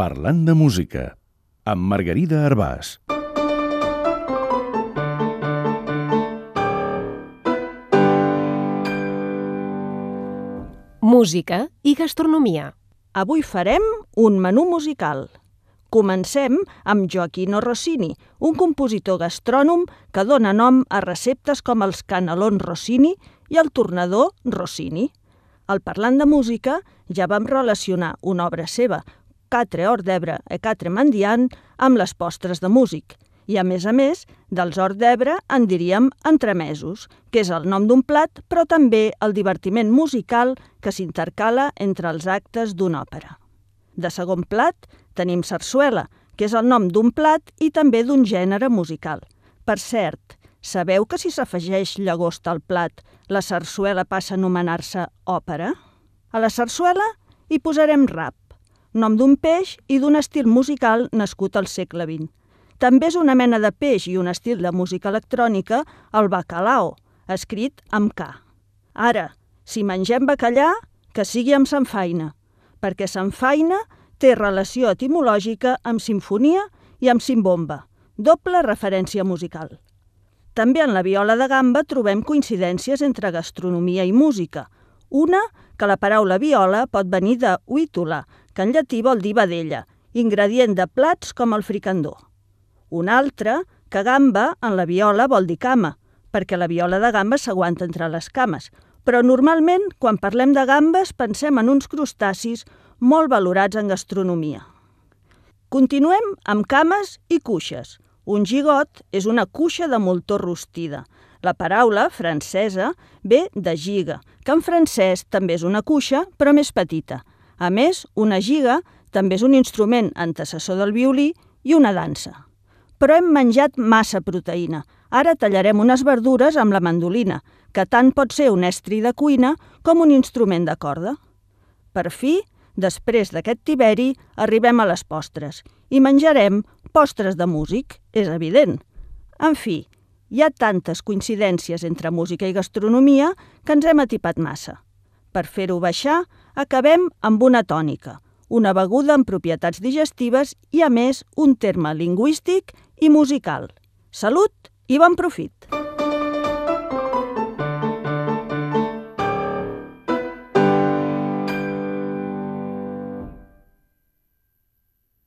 Parlant de música, amb Margarida Arbàs. Música i gastronomia. Avui farem un menú musical. Comencem amb Gioachino Rossini, un compositor gastrònom que dona nom a receptes com els canelons Rossini i el tornador Rossini. Al Parlant de música ja vam relacionar una obra seva, Quatre hors d'Ebre e quatre mendiant, amb les postres de músic. I a més, dels hors d'Ebre en diríem entremesos, que és el nom d'un plat, però també el divertiment musical que s'intercala entre els actes d'una òpera. De segon plat tenim sarsuela, que és el nom d'un plat i també d'un gènere musical. Per cert, sabeu que si s'afegeix llagosta al plat, la sarsuela passa a anomenar-se òpera? A la sarsuela hi posarem rap, nom d'un peix i d'un estil musical nascut al segle XX. També és una mena de peix i un estil de música electrònica, el bacalao, escrit amb K. Ara, si mengem bacallà, que sigui amb samfaina, perquè samfaina té relació etimològica amb simfonia i amb simbomba, doble referència musical. També en la viola de gamba trobem coincidències entre gastronomia i música. Una, que la paraula viola pot venir de vítula, que en llatí vol dir vedella, ingredient de plats com el fricandó. Una altra, que gamba en la viola vol dir cama, perquè la viola de gamba s'aguanta entre les cames, però normalment, quan parlem de gambes, pensem en uns crustacis molt valorats en gastronomia. Continuem amb cames i cuixes. Un gigot és una cuixa de moltó rostida. La paraula, francesa, ve de giga, que en francès també és una cuixa, però més petita. A més, una giga també és un instrument antecessor del violí i una dansa. Però hem menjat massa proteïna. Ara tallarem unes verdures amb la mandolina, que tant pot ser un estri de cuina com un instrument de corda. Per fi, després d'aquest tiberi, arribem a les postres i menjarem postres de músic, és evident. En fi, hi ha tantes coincidències entre música i gastronomia que ens hem atipat massa. Per fer-ho baixar, acabem amb una tònica, una beguda amb propietats digestives i, a més, un terme lingüístic i musical. Salut i bon profit!